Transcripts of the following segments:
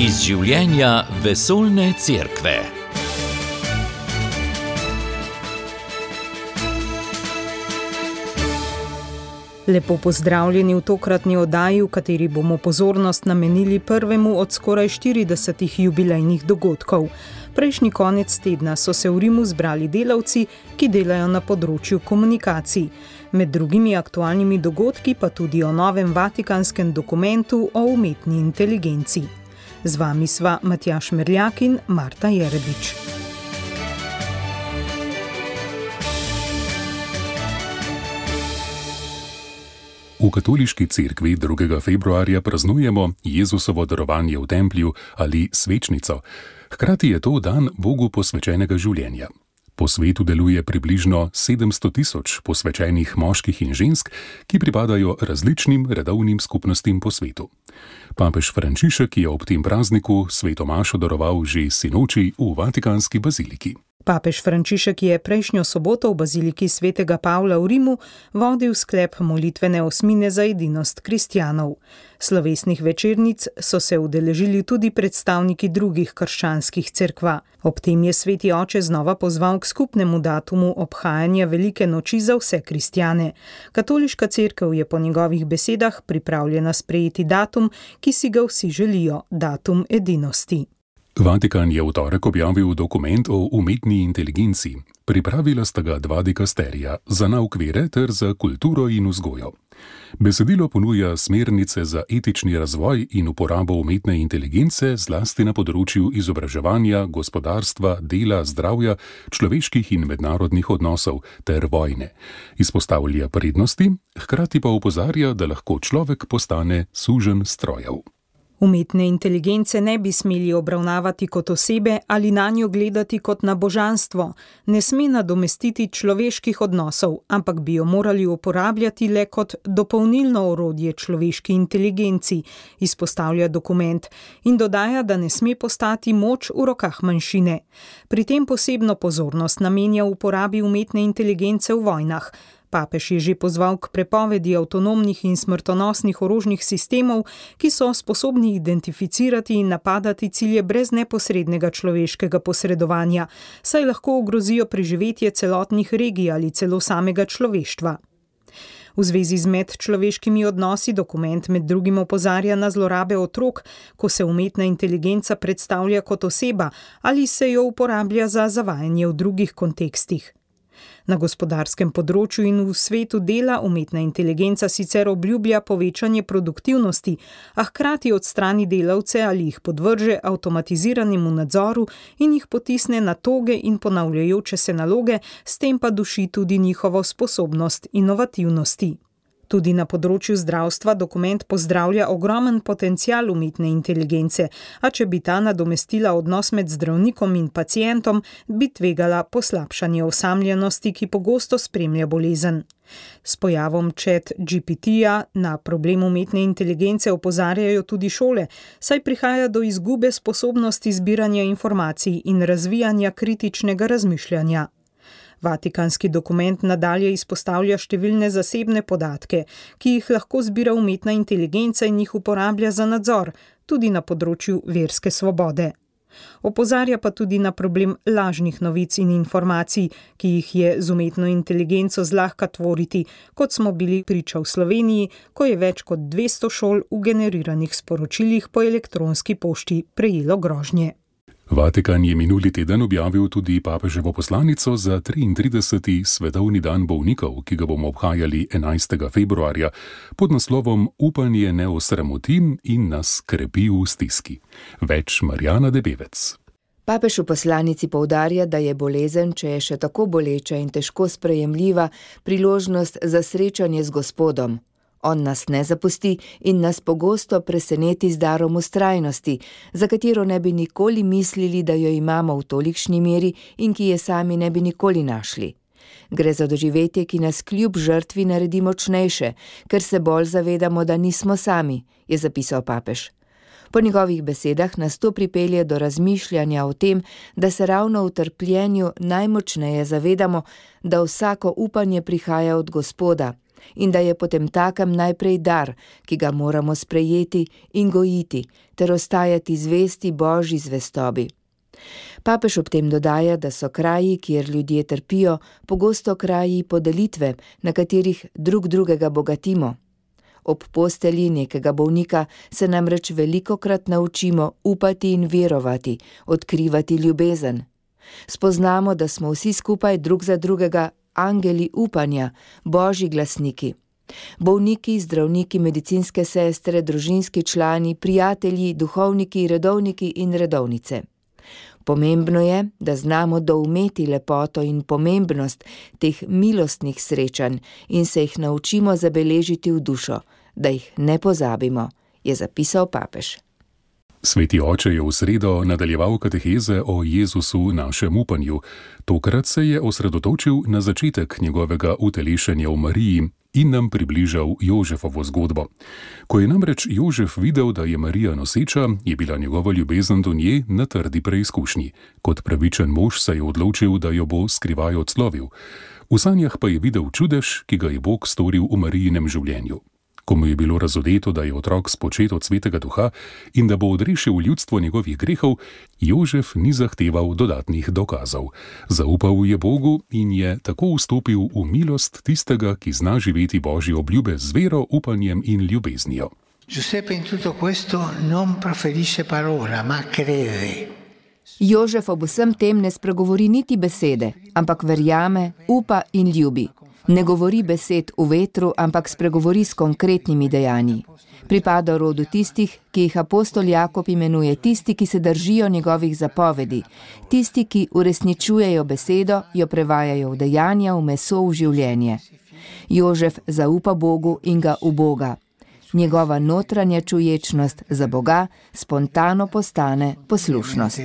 Iz življenja vesoljne cerkve. Lepo pozdravljeni v tokratni oddaji, v kateri bomo pozornost namenili prvemu od skoraj 40 jubilejnih dogodkov. Prejšnji konec tedna so se v Rimu zbrali delavci, ki delajo na področju komunikacij. Med drugimi aktualnimi dogodki pa tudi o novem vatikanskem dokumentu o umetni inteligenci. Z vami sva Matjaž Merljak in Marta Jerebič. V katoliški cerkvi 2. februarja praznujemo Jezusovo darovanje v templju ali svečnico. Hkrati je to dan Bogu posvečenega življenja. Po svetu deluje približno 700 000 posvečenih moških in žensk, ki pripadajo različnim redovnim skupnostim po svetu. Papež Frančišek je ob tem prazniku sveto mašo daroval že sinoči v Vatikanski baziliki. Papež Frančišek je prejšnjo soboto v baziliki svetega Pavla v Rimu vodil sklep molitvene osmine za edinost kristjanov. Slovesnih večernic so se udeležili tudi predstavniki drugih krščanskih cerkva. Ob tem je sveti oče znova pozval k skupnemu datumu obhajanja velike noči za vse kristjane. Katoliška cerkev je po njegovih besedah pripravljena sprejeti datum, ki si ga vsi želijo, datum edinosti. Vatikan je v torek objavil dokument o umetni inteligenci. Pripravila sta ga dva dikasterija, za nauk vere ter za kulturo in vzgojo. Besedilo ponuja smernice za etični razvoj in uporabo umetne inteligence zlasti na področju izobraževanja, gospodarstva, dela, zdravja, človeških in mednarodnih odnosov ter vojne. Izpostavlja prednosti, hkrati pa opozarja, da lahko človek postane suženj strojev. Umetne inteligence ne bi smeli obravnavati kot osebe ali nanjo gledati kot na božanstvo. Ne sme nadomestiti človeških odnosov, ampak bi jo morali uporabljati le kot dopolnilno orodje človeški inteligenci, izpostavlja dokument in dodaja, da ne sme postati moč v rokah manjšine. Pri tem posebno pozornost namenja uporabi umetne inteligence v vojnah. Papež je že pozval k prepovedi avtonomnih in smrtonosnih orožnih sistemov, ki so sposobni identificirati in napadati cilje brez neposrednega človeškega posredovanja, saj lahko ogrozijo preživetje celotnih regij ali celo samega človeštva. V zvezi z medčloveškimi odnosi dokument med drugim opozarja na zlorabe otrok, ko se umetna inteligenca predstavlja kot oseba ali se jo uporablja za zavajanje v drugih kontekstih. Na gospodarskem področju in v svetu dela umetna inteligenca sicer obljublja povečanje produktivnosti, a hkrati odstrani delavce ali jih podvrže avtomatiziranemu nadzoru in jih potisne na toge in ponavljajoče se naloge, s tem pa duši tudi njihovo sposobnost inovativnosti. Tudi na področju zdravstva dokument pozdravlja ogromen potencial umetne inteligence, a če bi ta nadomestila odnos med zdravnikom in pacientom, bi tvegala poslabšanje osamljenosti, ki pogosto spremlja bolezen. S pojavom ChatGPT-ja na problem umetne inteligence opozarjajo tudi šole, saj prihaja do izgube sposobnosti zbiranja informacij in razvijanja kritičnega razmišljanja. Vatikanski dokument nadalje izpostavlja številne zasebne podatke, ki jih lahko zbira umetna inteligenca in jih uporablja za nadzor, tudi na področju verske svobode. Opozarja pa tudi na problem lažnih novic in informacij, ki jih je z umetno inteligenco zlahka tvoriti, kot smo bili priča v Sloveniji, ko je več kot 200 šol v generiranih sporočilih po elektronski pošti prejelo grožnje. Vatikan je minuli teden objavil tudi papeževo poslanico za 33. svetovni dan bolnikov, ki ga bomo obhajali 11. februarja, pod naslovom Upanje ne osramoti in nas krepi v stiski. Več Marjana Debevec. Papež v poslanici poudarja, da je bolezen, če je še tako boleča in težko sprejemljiva, priložnost za srečanje z Gospodom. On nas ne zapusti in nas pogosto preseneti z darom vztrajnosti, za katero ne bi nikoli mislili, da jo imamo v tolikšni meri in ki je sami ne bi nikoli našli. Gre za doživetje, ki nas kljub žrtvi naredi močnejše, ker se bolj zavedamo, da nismo sami, je zapisal papež. Po njegovih besedah nas to pripelje do razmišljanja o tem, da se ravno v trpljenju najmočneje zavedamo, da vsako upanje prihaja od Gospoda, in da je potemtakem najprej dar, ki ga moramo sprejeti in gojiti, ter ostajati zvesti Božji zvestobi. Papež ob tem dodaja, da so kraji, kjer ljudje trpijo, pogosto kraji podelitve, na katerih drug drugega bogatimo. Ob postelji nekega bolnika se namreč velikokrat naučimo upati in verovati, odkrivati ljubezen. Spoznamo, da smo vsi skupaj drug za drugega angeli upanja, Božji glasniki. Bolniki, zdravniki, medicinske sestre, družinski člani, prijatelji, duhovniki, redovniki in redovnice. Pomembno je, da znamo doumeti lepoto in pomembnost teh milostnih srečanj in se jih naučimo zabeležiti v dušo, da jih ne pozabimo, je zapisal papež. Sveti oče je v sredo nadaljeval kateheze o Jezusu, našem upanju. Tokrat se je osredotočil na začetek njegovega utelešenja v Mariji in nam približal Jožefovo zgodbo. Ko je namreč Jožef videl, da je Marija noseča, je bila njegova ljubezen do nje na trdi preizkušnji. Kot pravičen mož se je odločil, da jo bo skrivaj odslovil. V sanjah pa je videl čudež, ki ga je Bog storil v Marijinem življenju. Ko mu je bilo razodeto, da je otrok spočet od Svetega Duha in da bo odrešil ljudstvo njegovih grehov, Jožef ni zahteval dodatnih dokazov. Zaupal je Bogu in je tako vstopil v milost tistega, ki zna živeti Božje obljube z vero, upanjem in ljubeznijo. Giuseppe in tutto questo non proferisce parola, ma crede. Jožef ob vsem tem ne spregovori niti besede, ampak verjame, upa in ljubi. Ne govori besed v vetru, ampak spregovori s konkretnimi dejanji. Pripada rodu tistih, ki jih apostol Jakob imenuje tisti, ki se držijo njegovih zapovedi, tisti, ki uresničujejo besedo, jo prevajajo v dejanja, v meso, v življenje. Jožef zaupa Bogu in ga uboga. Njegova notranja čuječnost za Boga spontano postane poslušnost.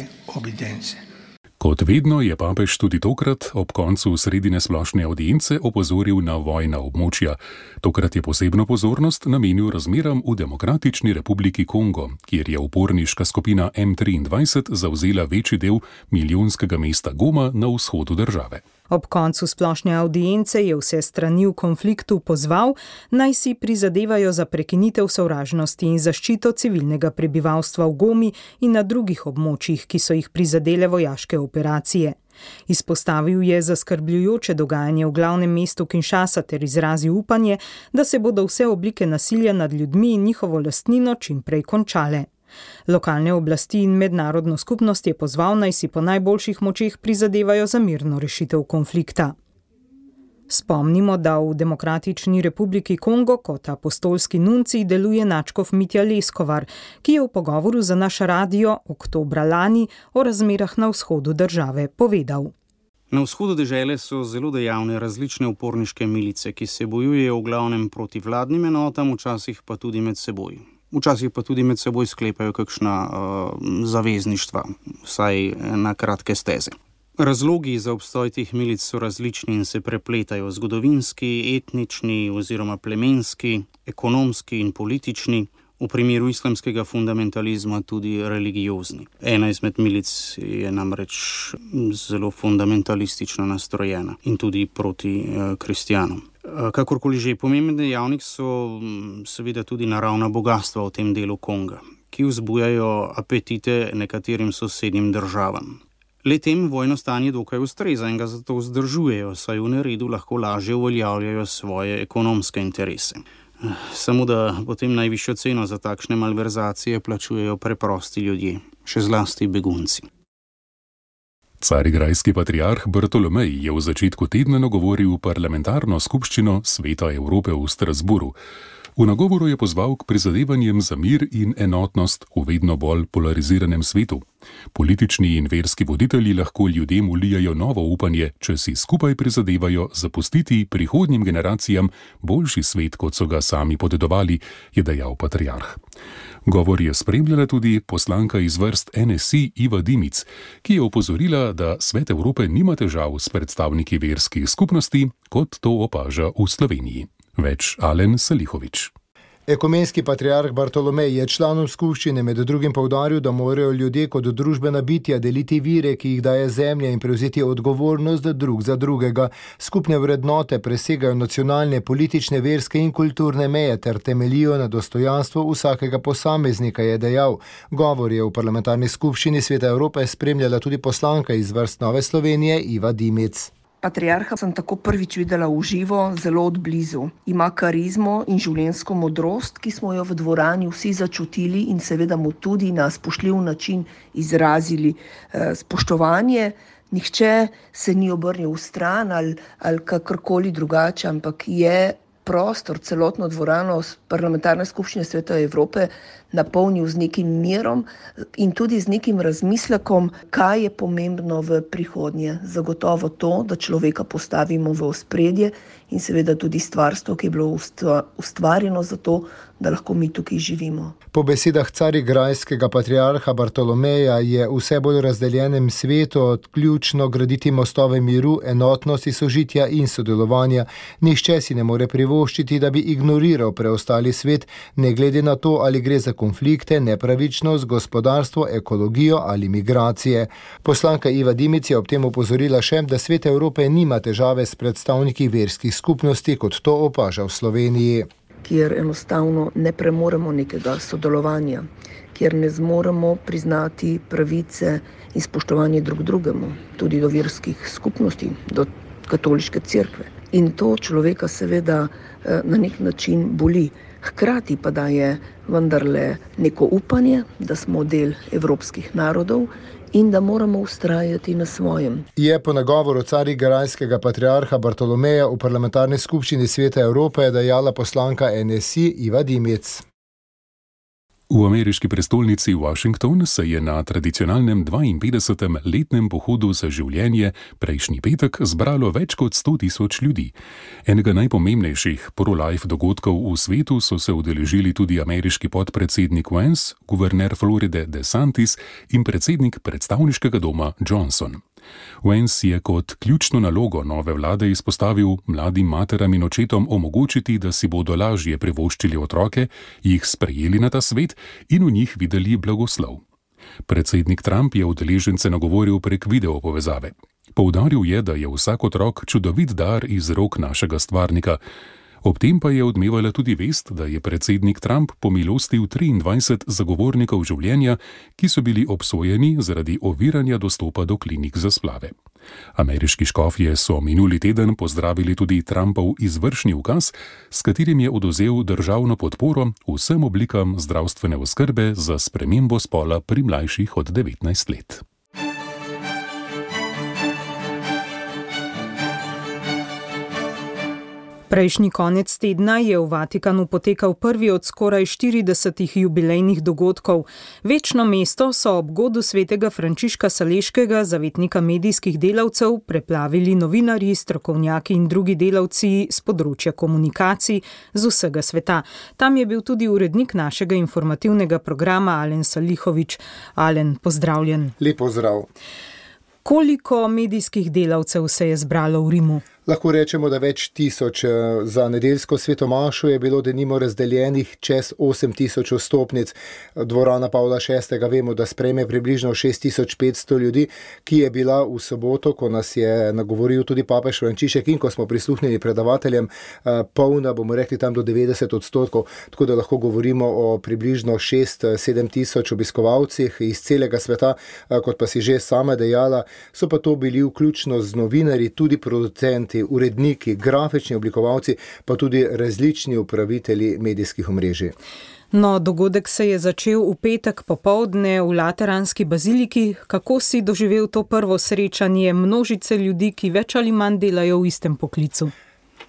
Kot vedno je papež tudi tokrat ob koncu sredine splošne audience opozoril na vojna območja. Tokrat je posebno pozornost namenil razmeram v Demokratični republiki Kongo, kjer je uporniška skupina M23 zavzela večji del milijonskega mesta Goma na vzhodu države. Ob koncu splošne audience je vse strani v konfliktu pozval, naj si prizadevajo za prekinitev sovražnosti in zaščito civilnega prebivalstva v Gomi in na drugih območjih, ki so jih prizadele vojaške operacije. Izpostavil je zaskrbljujoče dogajanje v glavnem mestu Kinshasa ter izrazil upanje, da se bodo vse oblike nasilja nad ljudmi in njihovo lastnino čim prej končale. Lokalne oblasti in mednarodno skupnost je pozval, naj si po najboljših močeh prizadevajo za mirno rešitev konflikta. Spomnimo, da v Demokratični republiki Kongo kot apostolski nuncij deluje nadškof Mitja Leskovar, ki je v pogovoru za naš radio oktobra lani o razmerah na vzhodu države povedal. Na vzhodu dežele so zelo dejavne različne uporniške milice, ki se bojujejo v glavnem proti vladnim enotam, včasih pa tudi med seboj. Včasih pa tudi med seboj sklepajo kakšna zavezništva, vsaj na kratke steze. Razlogi za obstoj teh milic so različni in se prepletajo: zgodovinski, etnični oziroma plemenski, ekonomski in politični, v primeru islamskega fundamentalizma tudi religiozni. Ena izmed milic je namreč zelo fundamentalistično nastrojena in tudi proti kristjanom. Kakorkoli že, pomemben dejavnik so seveda tudi naravna bogastva v tem delu Konga, ki vzbujajo apetite nekaterim sosednjim državam. Le-tem vojno stanje dokaj ustreza in ga zato vzdržujejo, saj v neredu lahko lažje uveljavljajo svoje ekonomske interese. Samo da potem najvišjo ceno za takšne malverzacije plačujejo preprosti ljudje, še zlasti begunci. Carigrajski patriarh Bartolomej je v začetku tedna nagovoril parlamentarno skupščino Sveta Evrope v Strasburu. V nagovoru je pozval k prizadevanjem za mir in enotnost v vedno bolj polariziranem svetu. Politični in verski voditelji lahko ljudem vlijajo novo upanje, če si skupaj prizadevajo zapustiti prihodnjim generacijam boljši svet, kot so ga sami podedovali, je dejal patriarh. Govor je spremljala tudi poslanka iz vrst NSI Iva Dimic, ki je opozorila, da Svet Evrope nima težav s predstavniki verskih skupnosti, kot to opaža v Sloveniji. Več Alen Salihovič. Ekumenski patriarh Bartolomej je članom skupščine med drugim poudaril, da morajo ljudje kot družbena bitja deliti vire, ki jih daje zemlja, in prevzeti odgovornost drug za drugega. Skupne vrednote presegajo nacionalne, politične, verske in kulturne meje ter temeljijo na dostojanstvu vsakega posameznika, je dejal. Govor je v parlamentarni skupščini Sveta Evrope spremljala tudi poslanka iz vrst Nove Slovenije Iva Dimic. Patriarha sem tako prvič videla v živo, zelo od blizu. Ima karizmo in življenjsko modrost, ki smo jo v dvorani vsi začutili in seveda mu tudi na spoštljiv način izrazili spoštovanje. Nihče se ni obrnil v stran ali kakorkoli drugače, ampak je prostor, celotno dvorano parlamentarne skupščine Sveta Evrope napolnil z nekim mirom in tudi z nekim razmislekom, kaj je pomembno v prihodnje. Zagotovo to, da človeka postavimo v ospredje in seveda tudi stvarstvo, ki je bilo ustvarjeno za to, da lahko mi tukaj živimo. Po besedah carigrajskega patriarha Bartolomeja je vse bolj razdeljenem svetu ključno graditi mostove miru, enotnosti, sožitja in sodelovanja. Nihče si ne more privoščiti, da bi ignoriral preostali svet, ne glede na to, ali gre za konflikte, nepravičnost, gospodarstvo, ekologijo ali migracije. Poslanka Iva Dimic je ob tem opozorila še, da Svet Evrope nima težave s predstavniki verskih skupnosti, kot to opaža v Sloveniji. Kjer enostavno ne premoremo nekega sodelovanja, kjer ne zmoremo priznati pravice in spoštovanje drug drugemu, tudi do verskih skupnosti, do katoliške cerkve. In to človeka seveda na nek način boli. Hkrati pa daje vendarle neko upanje, da smo del evropskih narodov in da moramo vztrajati na svojem. Je po nagovoru carigrajskega patriarha Bartolomeja v parlamentarni skupščini Sveta Evrope dejala poslanka NSI Iva Dimic. V ameriški prestolnici Washington se je na tradicionalnem 52. letnem pohodu za življenje prejšnji petek zbralo več kot 100.000 ljudi. Enega najpomembnejših pro-life dogodkov v svetu so se udeležili tudi ameriški podpredsednik Vance, guverner Floride DeSantis in predsednik predstavniškega doma Johnson. Vance je kot ključno nalogo nove vlade izpostavil mladim materam in očetom omogočiti, da si bodo lažje privoščili otroke, jih sprejeli na ta svet in v njih videli blagoslov. Predsednik Trump je udeležence nagovoril prek videopovezave. Poudaril je, da je vsak otrok čudovit dar iz rok našega stvarnika. Ob tem pa je odmevala tudi vest, da je predsednik Trump pomilostil 23 zagovornikov življenja, ki so bili obsojeni zaradi oviranja dostopa do klinik za splave. Ameriški škofje so minuli teden pozdravili tudi Trumpov izvršni ukaz, s katerim je odvzel državno podporo vsem oblikam zdravstvene oskrbe za spremembo spola pri mlajših od 19 let. Prejšnji konec tedna je v Vatikanu potekal prvi od skoraj 40 jubilejnih dogodkov. Večno mesto so ob godu svetega Frančiška Saleškega, zavetnika medijskih delavcev, preplavili novinarji, strokovnjaki in drugi delavci z področja komunikacij z vsega sveta. Tam je bil tudi urednik našega informativnega programa Alen Salihović. Alen, pozdravljen. Lep pozdrav. Koliko medijskih delavcev se je zbralo v Rimu? Lahko rečemo, da več tisoč. Za nedeljsko svetomašo je bilo denimo razdeljenih čez 8.000 vstopnic. Dvorana Pavla VI. Vemo, da sprejme približno 6.500 ljudi, ki je bila v soboto, ko nas je nagovoril tudi papež Frančišek in ko smo prisluhnili predavateljem, polna, bomo rekli tam do 90%, tako da lahko govorimo o približno 6-7 tisoč obiskovalcih iz celega sveta, kot pa si že sama dejala, so pa to bili vključno z novinarji, tudi producenti, uredniki, grafični oblikovalci, pa tudi različni upravitelji medijskih omrežij. No, dogodek se je začel v petek popoldne v Lateranski baziliki. Kako si doživel to prvo srečanje množice ljudi, ki več ali manj delajo v istem poklicu?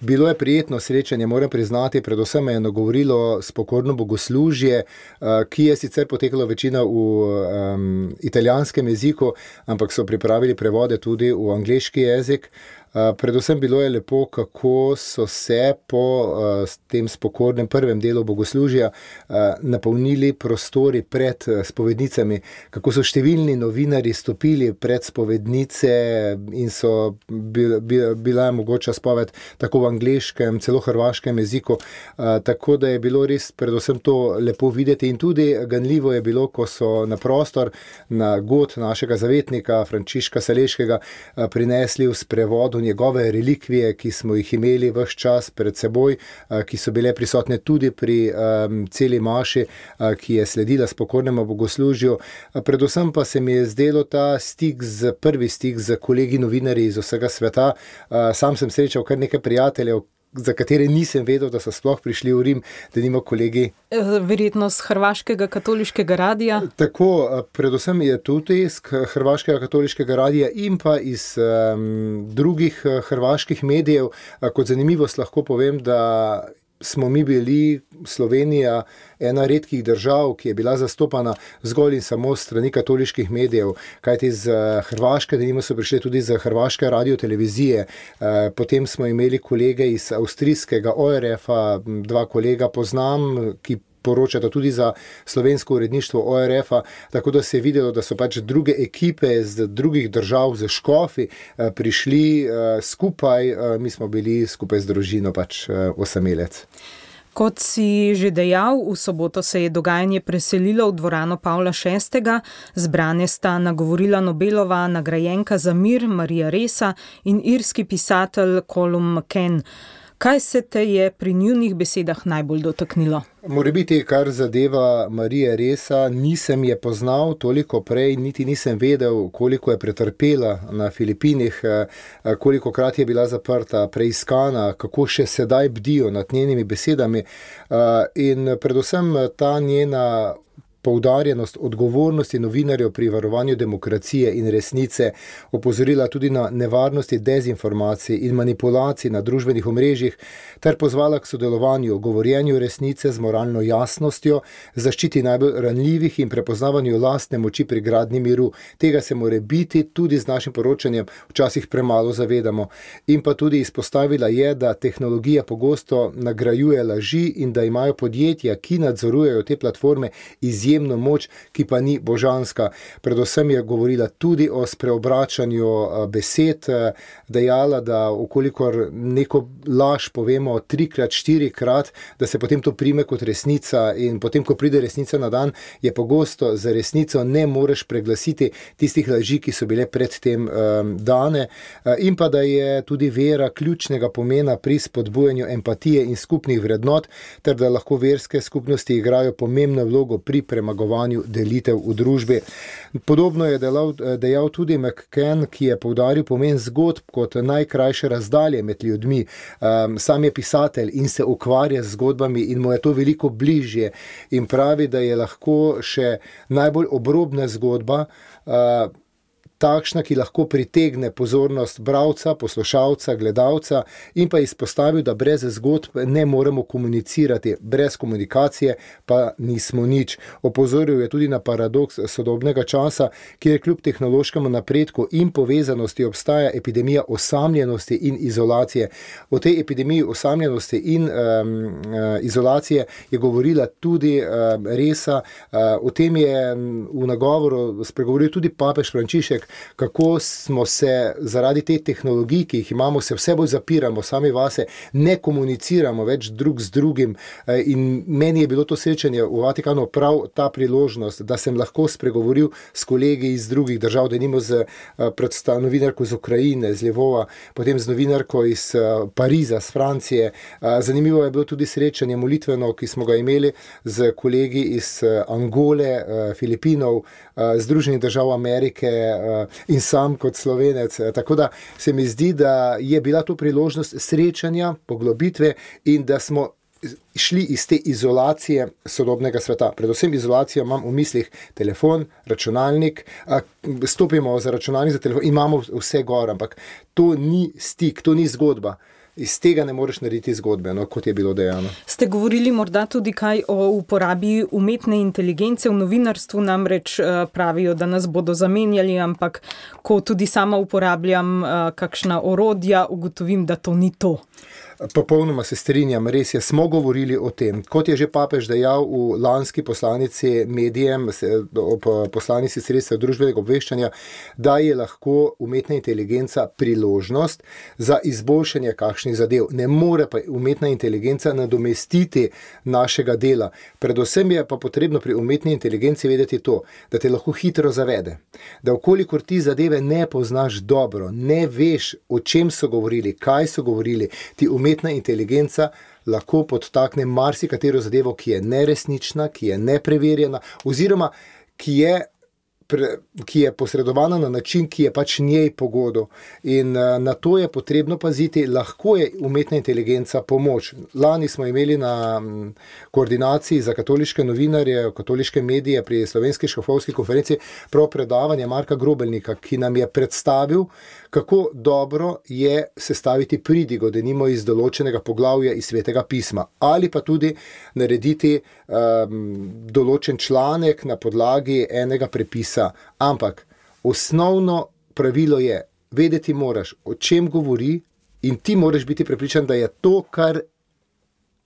Bilo je prijetno srečanje, moram priznati, predvsem me je nagovorilo spokorno bogoslužje, ki je sicer potekalo večina v italijanskem jeziku, ampak so pripravili prevode tudi v angleški jezik. Predvsem bilo je lepo, kako so se po tem spokornem prvem delu bogoslužja napolnili prostori pred spovednicami, kako so številni novinarji stopili pred spovednice in so bila mogoča spoved tako v angleškem, celo hrvaškem jeziku, tako da je bilo res predvsem to lepo videti in tudi ganljivo je bilo, ko so na prostor, na god našega zavetnika Frančiška Saleškega prinesli v sprevodu njegove relikvije, ki smo jih imeli ves čas pred seboj, ki so bile prisotne tudi pri celi maši, ki je sledila spokornemu bogoslužju. Predvsem pa se mi je zdelo ta prvi stik z kolegi novinarji iz vsega sveta. Sam sem srečal kar nekaj prijateljev, za katere nisem vedel, da so sploh prišli v Rim, da nima kolegi. Verjetno z Hrvaškega katoliškega radija. Tako, predvsem je tudi iz Hrvaškega katoliškega radija in pa iz drugih hrvaških medijev. Kot zanimivost lahko povem, da smo mi bili, Slovenija, ena redkih držav, ki je bila zastopana zgolj in samo strani katoliških medijev, kajti z Hrvaške, denimo, so prišli tudi z Hrvaške radiotelevizije, potem smo imeli kolege iz avstrijskega ORF-a, dva kolega poznam, ki poročata tudi za slovensko uredništvo ORF-a, tako da se je videlo, da so pač druge ekipe z drugih držav, z škofi, prišli skupaj, mi smo bili skupaj z družino pač osamelec. Kot si že dejal, v soboto se je dogajanje preselilo v dvorano Pavla VI. Zbrane sta nagovorila Nobelova nagrajenka za mir Marija Ressa in irski pisatelj Colum McCann. Kaj se te je pri njunih besedah najbolj dotaknilo? Morebiti, kar zadeva Marije Ressa, nisem je poznal toliko prej, niti nisem vedel, koliko je pretrpela na Filipinih, kolikokrat je bila zaprta, preiskana, kako še sedaj bdijo nad njenimi besedami in predvsem ta njena poudarjenost odgovornosti novinarjev pri varovanju demokracije in resnice, opozorila tudi na nevarnosti dezinformacij in manipulacij na družbenih omrežjih, ter pozvala k sodelovanju, govorjenju resnice z moralno jasnostjo, zaščiti najbolj ranljivih in prepoznavanju lastne moči pri gradnji miru. Tega se mora biti tudi z našim poročanjem včasih premalo zavedamo. In pa tudi izpostavila je, da tehnologija pogosto nagrajuje laži in da imajo podjetja, ki nadzorujejo te platforme, izjemno moč, ki pa ni božanska. Predvsem je govorila tudi o spreobračanju besed, dejala, da ukolikor neko laž povemo 3-krat, 4-krat, da se potem to prime kot resnica in potem, ko pride resnica na dan, je pogosto za resnico ne moreš preglasiti tistih laži, ki so bile predtem dane in pa da je tudi vera ključnega pomena pri spodbujanju empatije in skupnih vrednot, ter da lahko verske skupnosti igrajo pomembno vlogo pri premagovanju delitev v družbi. Podobno je dejal tudi McCann, ki je poudaril pomen zgodb kot najkrajše razdalje med ljudmi. Sam je pisatelj in se ukvarja z zgodbami in mu je to veliko bližje in pravi, da je lahko še najbolj obrobna zgodba takšna, ki lahko pritegne pozornost bralca, poslušalca, gledalca in pa izpostavil, da brez zgodb ne moremo komunicirati, brez komunikacije pa nismo nič. Opozoril je tudi na paradoks sodobnega časa, kjer kljub tehnološkemu napredku in povezanosti obstaja epidemija osamljenosti in izolacije. O tej epidemiji osamljenosti in izolacije je govorila tudi Ressa. O tem je v nagovoru spregovoril tudi papež Frančišek, kako smo se zaradi te tehnologij, ki jih imamo, se vse bolj zapiramo sami vase, ne komuniciramo več drug z drugim in meni je bilo to srečanje v Vatikanu prav ta priložnost, da sem lahko spregovoril s kolegi iz drugih držav, denimo z novinarko iz Ukrajine, z Lvova, potem z novinarko iz Pariza, z Francije. Zanimivo je bilo tudi srečanje molitveno, ki smo ga imeli z kolegi iz Angole, Filipinov, Združenih držav Amerike in sam kot Slovenec. Tako da se mi zdi, da je bila to priložnost srečanja, poglobitve in da smo šli iz te izolacije sodobnega sveta. Predvsem izolacijo imam v mislih telefon, računalnik, stopimo za računalnik, za telefon, imamo vse gor, ampak to ni stik, to ni zgodba. iz tega ne moreš narediti zgodbe, no, kot je bilo dejano. Ste govorili morda tudi kaj o uporabi umetne inteligence v novinarstvu, namreč pravijo, da nas bodo zamenjali, ampak ko tudi sama uporabljam kakšna orodja, ugotovim, da to ni to. Popolnoma se strinjam, res je, smo govorili o tem. Kot je že papež dejal v lanski poslanici medijem, poslanici sredstev družbenega obveščanja, da je lahko umetna inteligenca priložnost za izboljšanje kakšnih zadev. Ne more pa umetna inteligenca nadomestiti našega dela. Predvsem je pa potrebno pri umetni inteligenci vedeti to, da te lahko hitro zavede. Da okolikor ti zadeve ne poznaš dobro, ne veš, o čem so govorili, kaj so govorili, ti umetna inteligenca lahko podtakne marsikatero zadevo, ki je neresnična, ki je nepreverjena, oziroma ki je posredovana na način, ki je pač njej pogodo. In na to je potrebno paziti, lahko je umetna inteligenca pomoč. Lani smo imeli na koordinaciji za katoliške novinarje, katoliške medije pri Slovenski škofovski konferenci prav predavanje Marka Grobelnika, ki nam je predstavil, kako dobro je sestaviti pridigo, denimo iz določenega poglavja iz Svetega pisma, ali pa tudi narediti določen članek na podlagi enega prepisa. Ampak osnovno pravilo je, vedeti moraš, o čem govori, in ti moraš biti prepričan, da je to, kar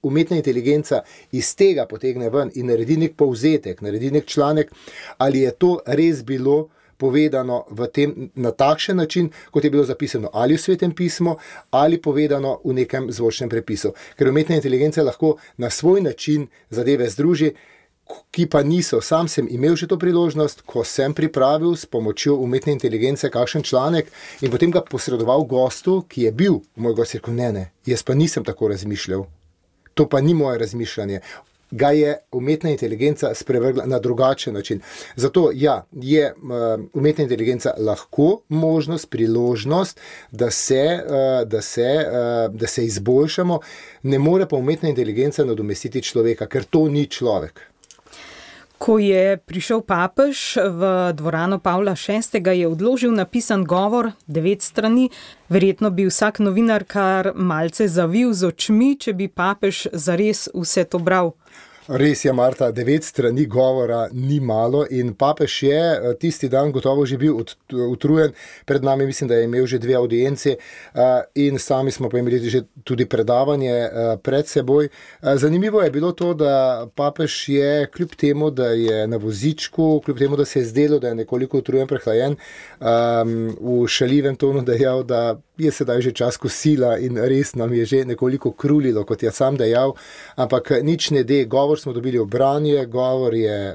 umetna inteligenca iz tega potegne ven in naredi nek povzetek, naredi nek članek, ali je to res bilo povedano na takšen način, kot je bilo zapisano ali v Svetem pismu, ali povedano v nekem zvočnem prepisu. Ker umetna inteligenca lahko na svoj način zadeve združi, ki pa niso. Sam sem imel že to priložnost, ko sem pripravil s pomočjo umetne inteligence kakšen članek in potem ga posredoval gostu, ki je bil moj gost, rekel, ne, jaz pa nisem tako razmišljal. To pa ni moje razmišljanje. Ga je umetna inteligenca sprevrgla na drugačen način. Zato je umetna inteligenca lahko možnost, priložnost, da se izboljšamo, ne more pa umetna inteligenca nadomestiti človeka, ker to ni človek. Ko je prišel papež v dvorano Pavla VI, je odložil napisan govor, 9 strani. Verjetno bi vsak novinar kar malce zavil z očmi, če bi papež zares vse to bral. Res je, Marta, 9 strani govora ni malo in papež je tisti dan gotovo že bil utrujen. Pred nami mislim, da je imel že 2 audienci in sami smo pa imeli že tudi predavanje pred seboj. Zanimivo je bilo to, da papež je kljub temu, da je na vozičku, kljub temu, da se je zdelo, da je nekoliko utrujen, prehlajen, v šaljivem tonu dejal, da je sedaj že čas kosila in res nam je že nekoliko krulilo, kot je sam dejal, ampak nič ne de. Govor smo dobili v branje, govor je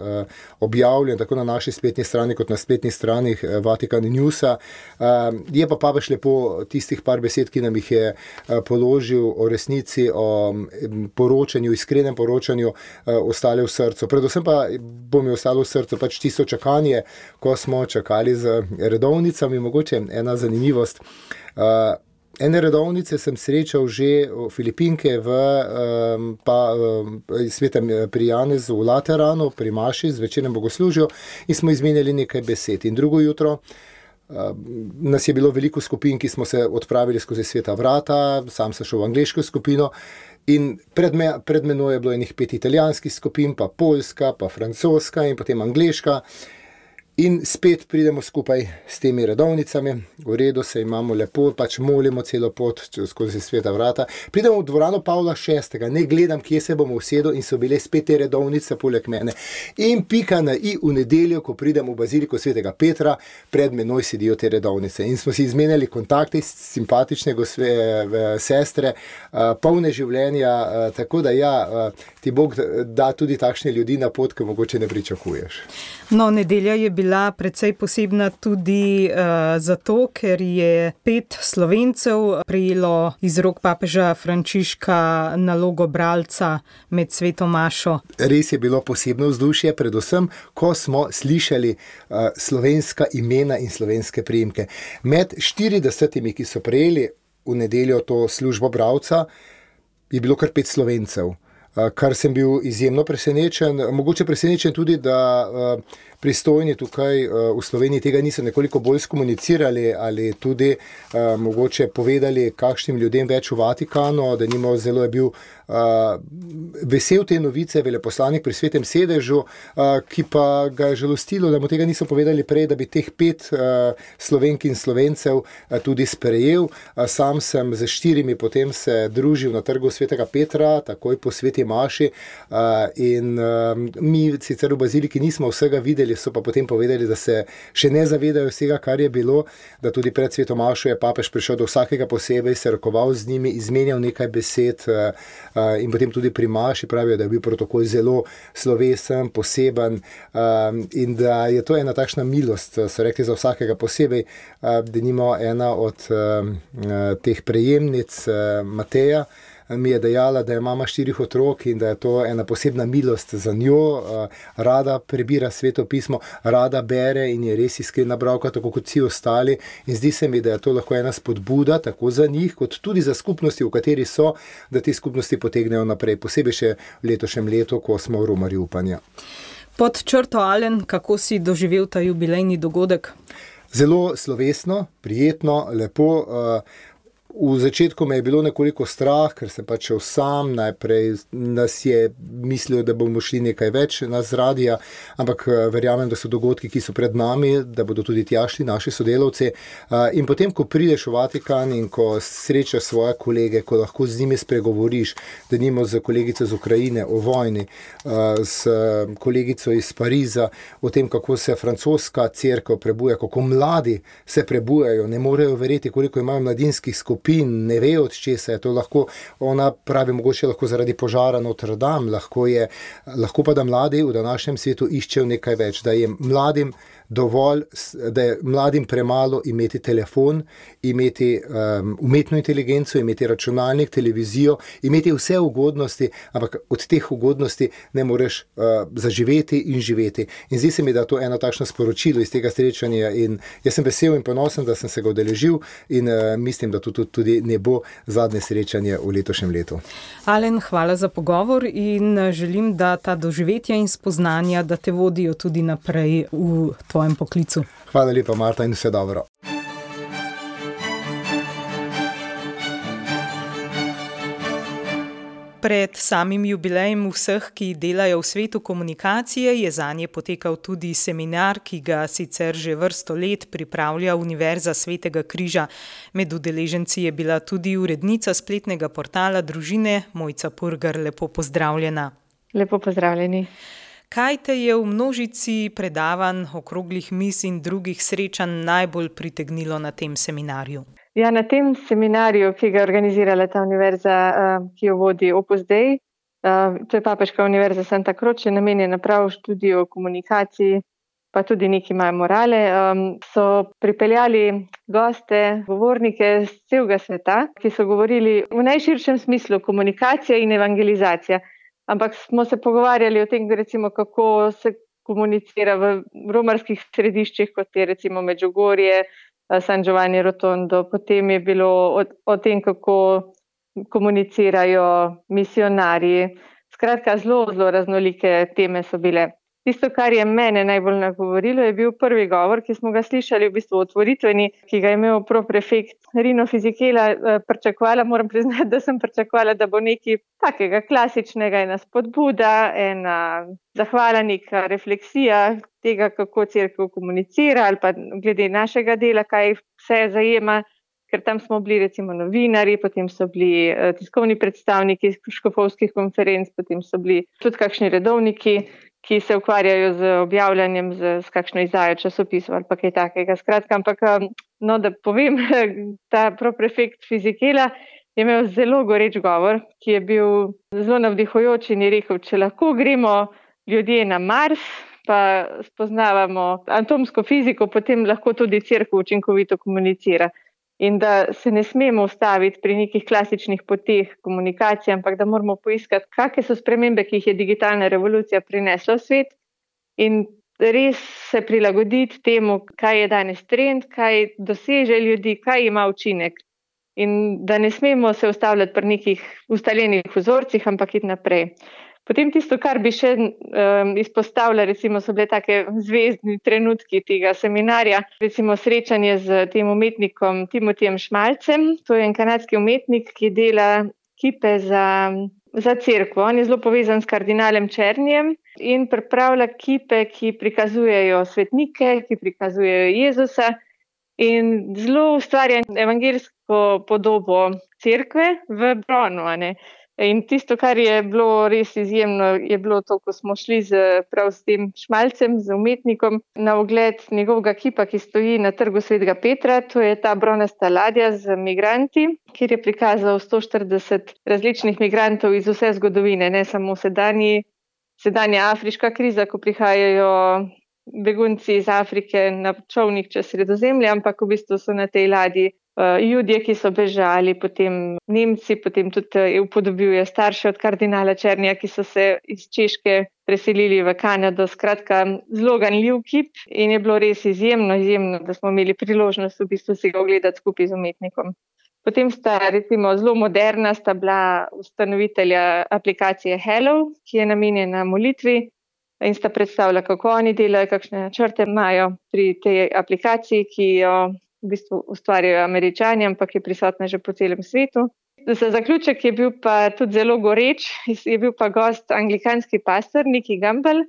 objavljen tako na naši spletni strani, kot na spletnih stranih Vatikan Newsa. Je pa papež lepo tistih par besed, ki nam jih je položil o resnici, o poročanju, iskrenem poročanju, ostale v srcu. Predvsem pa bo mi ostalo v srcu pač tisto čakanje, ko smo čakali z redovnicami. Mogoče ena zanimivost. Ene redovnice sem srečal že v Filipinke pri Janezu v Lateranu, pri Maši, z večernem bogoslužju in smo izmenjali nekaj besed. In drugo jutro nas je bilo veliko skupin, ki smo se odpravili skozi sveta vrata, sam sem šel v angleško skupino in pred menoj je bilo enih 5 italijanskih skupin, pa poljska, pa francoska in potem angleška. In spet pridemo skupaj s temi redovnicami, v redu se imamo lepo, pač molimo celo pot skozi sveta vrata. Pridemo v dvorano Pavla VI, ne gledam, kje se bomo usedel in so bile spet te redovnice poleg mene. In pika na i v nedeljo, ko pridem v baziliko svetega Petra, pred menoj sedijo te redovnice. In smo si izmenjali kontakte, simpatične sestre, polne življenja, tako da ti Bog da tudi takšne ljudi na pot, ki mogoče ne pričakuješ. No, nedelja je bila precej posebna tudi zato, ker je 5 Slovencev prejelo iz rok papeža Frančiška nalogo bralca med sveto mašo. Res je bilo posebno vzdušje, predvsem, ko smo slišali slovenska imena in slovenske priimke. Med 40, ki so prejeli v nedeljo to službo bralca, je bilo kar 5 Slovencev. Kar sem bil izjemno presenečen, mogoče presenečen tudi, da pristojni tukaj v Sloveniji tega niso nekoliko bolj skomunicirali ali tudi mogoče povedali kakšnim ljudem več v Vatikanu, da nimo zelo je bil vesel te novice, veleposlanik pri Svetem sedežu, ki pa ga je žalostilo, da mu tega niso povedali prej, da bi teh 5 Slovenk in Slovencev tudi sprejel. Sam sem z 4 potem se družil na trgu Svetega Petra, takoj po Sveti maši, in mi sicer v baziliki nismo vsega videli, so pa potem povedali, da se še ne zavedajo vsega, kar je bilo, da tudi pred Sveto mašo je papež prišel do vsakega posebej, se rokoval z njimi, izmenjal nekaj besed, in potem tudi pri maši pravijo, da je bil protokol zelo slovesen, poseben, in da je to ena takšna milost, so rekli za vsakega posebej, denimo ena od teh prejemnic, Mateja, mi je dejala, da je mama 4 otrok in da je to ena posebna milost za njo, rada prebira Sveto pismo, rada bere in je res iskrena bralka, tako kot vsi ostali, in zdi se mi, da je to lahko ena spodbuda, tako za njih, kot tudi za skupnosti, v kateri so, da te skupnosti potegnejo naprej, posebej še v letošnjem letu, ko smo v romarju upanja. Pod črto, Alen, kako si doživel ta jubilejni dogodek? Zelo slovesno, prijetno, lepo. V začetku me je bilo nekoliko strah, ker sem pač šel sam, najprej nas je mislil, da bomo šli nekaj več nas z radija, ampak verjamem, da so dogodki, ki so pred nami, da bodo tudi tja šli naši sodelavci. In potem, ko prideš v Vatikan in ko srečaš svoje kolege, ko lahko z njimi spregovoriš, denimo z kolegico iz Ukrajine o vojni, s kolegico iz Pariza, o tem, kako se francoska cerkev prebuja, kako mladi se prebujajo, ne morejo verjeti, koliko imajo mladinskih skupin, ne ve od česa je to lahko, ona pravi mogoče lahko zaradi požara Notre Dame, lahko pa da mladi v današnjem svetu iščejo nekaj več, da je mladim dovolj, da je mladim premalo imeti telefon, imeti umetno inteligenco, imeti računalnik, televizijo, imeti vse ugodnosti, ampak od teh ugodnosti ne moreš zaživeti in živeti. In zdi se mi, da je to eno takšno sporočilo iz tega srečanja in jaz sem vesel in ponosen, da sem se ga udeležil in mislim, da to tudi ne bo zadnje srečanje v letošnjem letu. Alen, hvala za pogovor in želim, da ta doživetja in spoznanja, da te vodijo tudi naprej v tvojem poklicu. Hvala lepa, Marta, in vse dobro. Pred samim jubilejem vseh, ki delajo v svetu komunikacije, je zanje potekal tudi seminar, ki ga sicer že vrsto let pripravlja Univerza Svetega križa. Med udeleženci je bila tudi urednica spletnega portala Družine, Mojca Purgar. Lepo pozdravljena. Lepo pozdravljeni. Kaj te je v množici predavanj, okroglih miz in drugih srečanj najbolj pritegnilo na tem seminarju? Ja, na tem seminarju, ki ga je organizirala ta univerza, ki jo vodi Opus Dei, to je Papeška univerza Santa Croce, namenjena prav študiju komunikaciji, pa tudi neki imajo morale, so pripeljali goste, govornike z celega sveta, ki so govorili v najširšem smislu komunikacija in evangelizacija. Ampak smo se pogovarjali o tem, recimo, kako se komunicira v romarskih središčih, kot je recimo Medžugorje, San Giovanni Rotondo, potem je bilo o tem, kako komunicirajo misionarji. Skratka, zelo raznolike teme so bile. Tisto, kar je mene najbolj nagovorilo, je bil prvi govor, ki smo ga slišali v bistvu otvoritveni, ki ga je imel proprefekt Rino Fisichella. Moram priznati, da sem pričakovala, da bo nekaj takega klasičnega, ena spodbuda, ena zahvala, neka refleksija tega, kako cerkev komunicira ali pa glede našega dela, kaj vse zajema, ker tam smo bili recimo novinari, potem so bili tiskovni predstavniki škofovskih konferenc, potem so bili tudi kakšni redovniki, ki se ukvarjajo z objavljanjem s kakšno izdajo časopisov ali pa kaj takega. Skratka, ampak da povem, ta proprefekt Fisichella je imel zelo goreč govor, ki je bil zelo navdihujoč in je rekel, če lahko gremo ljudje na Mars, pa spoznavamo atomsko fiziko, potem lahko tudi cerkev učinkovito komunicira. In da se ne smemo ustaviti pri nekih klasičnih poteh komunikacije, ampak da moramo poiskati, kakšne so spremembe, ki jih je digitalna revolucija prinesla v svet in res se prilagoditi temu, kaj je danes trend, kaj doseže ljudi, kaj ima učinek. In da ne smemo se ustavljati pri nekih ustaljenih vzorcih, ampak iti naprej. Potem tisto, kar bi še izpostavila, recimo so bile take zvezdni trenutki tega seminarja, recimo srečanje z tem umetnikom Timotijem Šmalcem, to je en kanadski umetnik, ki dela kipe za cerkev. On je zelo povezan s kardinalem Černijem in pripravlja kipe, ki prikazujejo svetnike, ki prikazujejo Jezusa in zelo ustvarja evangeljsko podobo cerkve v bronu, a ne. In tisto, kar je bilo res izjemno, je bilo to, ko smo šli prav s tem Šmalcem, z umetnikom, na ogled njegovega kipa, ki stoji na trgu Svetega Petra. To je ta bronasta ladja z migranti, kjer je prikazal 140 različnih migrantov iz vse zgodovine, ne samo sedanja afriška kriza, ko prihajajo begunci iz Afrike na čolnih čez Sredozemlje, ampak v bistvu so na tej ladji Judje, ki so bežali, potem Nemci, potem tudi upodobil je starše od kardinala Černija, ki so se iz Češke preselili v Kanado. Skratka, zelo ganljiv kip in je bilo res izjemno, da smo imeli priložnost v bistvu si ga ogledati skupaj z umetnikom. Potem recimo zelo moderna sta bila ustanovitelja aplikacije Hello, ki je namenjena molitvi in sta predstavila, kako oni delajo, kakšne načrte imajo pri tej aplikaciji, ki jo v bistvu ustvarjajo Američani, ampak je prisotna že po celem svetu. Za zaključek je bil pa tudi zelo goreč, je bil pa gost anglikanski pastor Nicky Gumbel,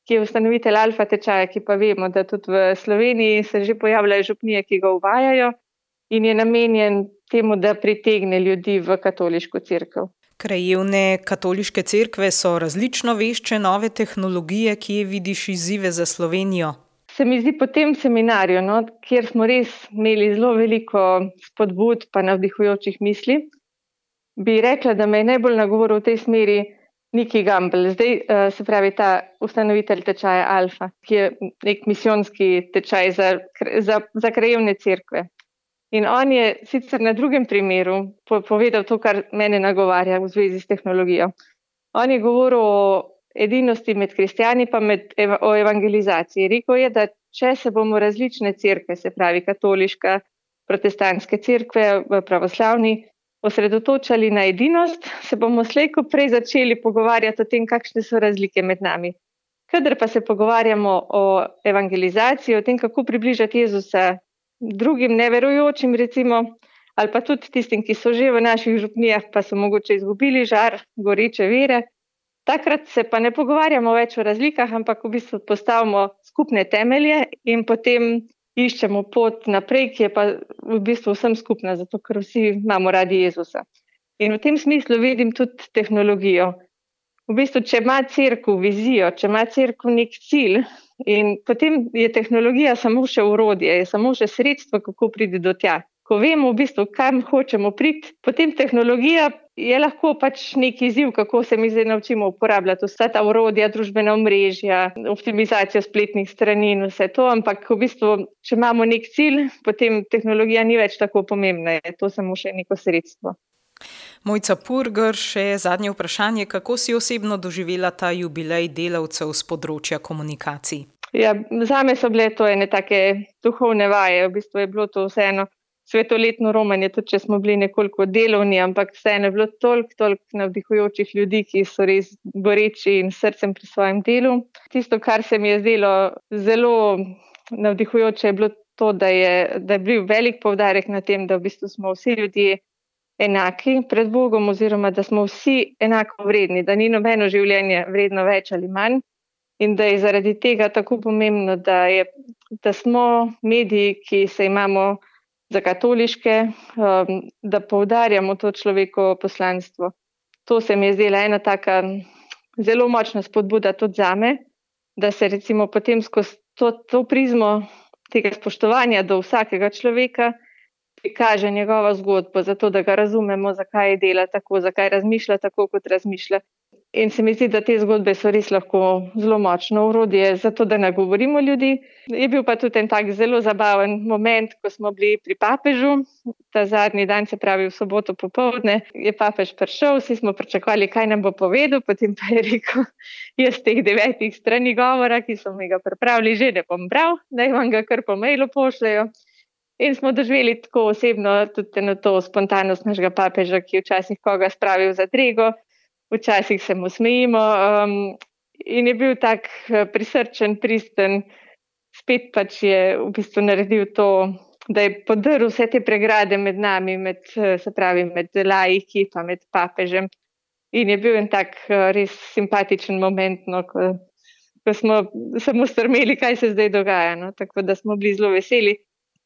ki je ustanovitelj Alfa tečaja, ki pa vemo, da tudi v Sloveniji se že pojavljajo župnije, ki ga uvajajo in je namenjen temu, da pritegne ljudi v katoliško cerkev. Krajevne katoliške cerkve so različno vešče nove tehnologije, kje vidiš izzive za Slovenijo? Se mi zdi po tem seminarju, kjer smo res imeli zelo veliko spodbud pa navdihujočih misli, bi rekla, da me je najbolj nagovoril v tej smeri Nicky Gumbel. Zdaj se pravi ta ustanovitelj tečaja Alfa, ki je nek misijonski tečaj za krajevne cerkve. In on je sicer na drugem primeru povedal to, kar mene nagovarja v zvezi s tehnologijo. On je govoril o edinosti med kristjani pa o evangelizaciji. Rekel je, da če se bomo različne cerkve, se pravi katoliška, protestantske cerkve, pravoslavni, osredotočali na edinost, se bomo slej ko prej začeli pogovarjati o tem, kakšne so razlike med nami. Kadar pa se pogovarjamo o evangelizaciji, o tem, kako približati Jezusa drugim neverujočim, recimo, ali pa tudi tistim, ki so že v naših župnijah, pa so mogoče izgubili žar goreče vere, takrat se pa ne pogovarjamo več o razlikah, ampak v bistvu postavimo skupne temelje in potem iščemo pot naprej, ki je pa v bistvu vsem skupna, zato ker vsi imamo radi Jezusa. In v tem smislu vidim tudi tehnologijo. V bistvu, če ima cerkev vizijo, če ima cerkev nek cilj, in potem je tehnologija samo še orodje, je samo še sredstvo, kako priti do tja. Ko vemo v bistvu, kam hočemo priti, potem tehnologija je lahko pač nek izziv, kako se mi zdaj naučimo uporabljati vsa ta orodja, družbena omrežja, optimizacijo spletnih strani in vse to, ampak v bistvu, če imamo nek cilj, potem tehnologija ni več tako pomembna, je to samo še neko sredstvo. Mojca Purger, še zadnje vprašanje, kako si osebno doživela ta jubilej delavcev z področja komunikacij? Ja, zame so bile to ene take duhovne vaje, v bistvu je bilo to vseeno svetoletno romanje, tudi če smo bili nekoliko delovni, ampak vseeno je bilo toliko navdihujočih ljudi, ki so res goreči in srcem pri svojem delu. Tisto, kar se mi je zdelo zelo navdihujoče, je bilo to, da je bil velik poudarek na tem, da v bistvu smo vsi ljudje enaki pred Bogom oziroma da smo vsi enako vredni, da ni nobeno življenje vredno več ali manj in da je zaradi tega tako pomembno, da smo mediji, ki se imamo za katoliške, da poudarjamo to človekovo poslanstvo. To se mi je zdela ena taka zelo močna spodbuda tudi zame, da se recimo potem skozi to prizmo tega spoštovanja do vsakega človeka prikaže njegova zgodba, zato da ga razumemo, zakaj dela tako, zakaj razmišlja tako, kot razmišlja. In se mi zdi, da te zgodbe so res lahko zelo močno orodje za to, da nagovorimo ljudi. Je bil pa tudi en tak zelo zabaven moment, ko smo bili pri papežu, ta zadnji dan, se pravi v soboto popoldne, je papež prišel, vsi smo pričakovali, kaj nam bo povedal, potem pa je rekel, jaz teh 9 strani govora, ki so mi ga pripravili, že ne bom bral, naj vam ga kar po mailu pošljajo. In smo doživeli tako osebno tudi na to spontanost našega papeža, ki je včasih koga spravil za drego. včasih se mu smejimo. In je bil tak prisrčen, pristen, spet pač je v bistvu naredil to, da je podrl vse te pregrade med nami, med laiki pa med papežem. In je bil en tak res simpatičen moment, no, ko smo samo strmeli, kaj se zdaj dogaja. No. Tako da smo bili zelo veseli,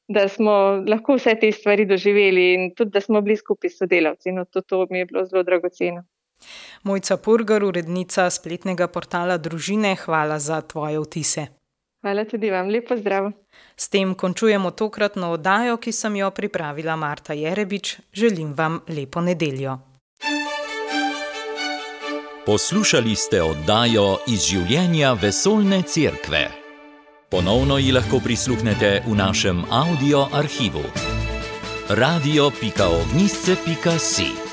da smo lahko vse te stvari doživeli in tudi, da smo bili skupaj s sodelavci. No, to mi je bilo zelo dragoceno. Mojca Purgar, urednica spletnega portala Družine, hvala za tvoje vtise. Hvala tudi vam, lep pozdrav. S tem končujemo tokratno oddajo, ki sem jo pripravila Marta Jerebič. Želim vam lepo nedeljo. Poslušali ste oddajo Iz življenja vesoljne cerkve. Ponovno ji lahko prisluhnete v našem audio arhivu. radio.ognisce.si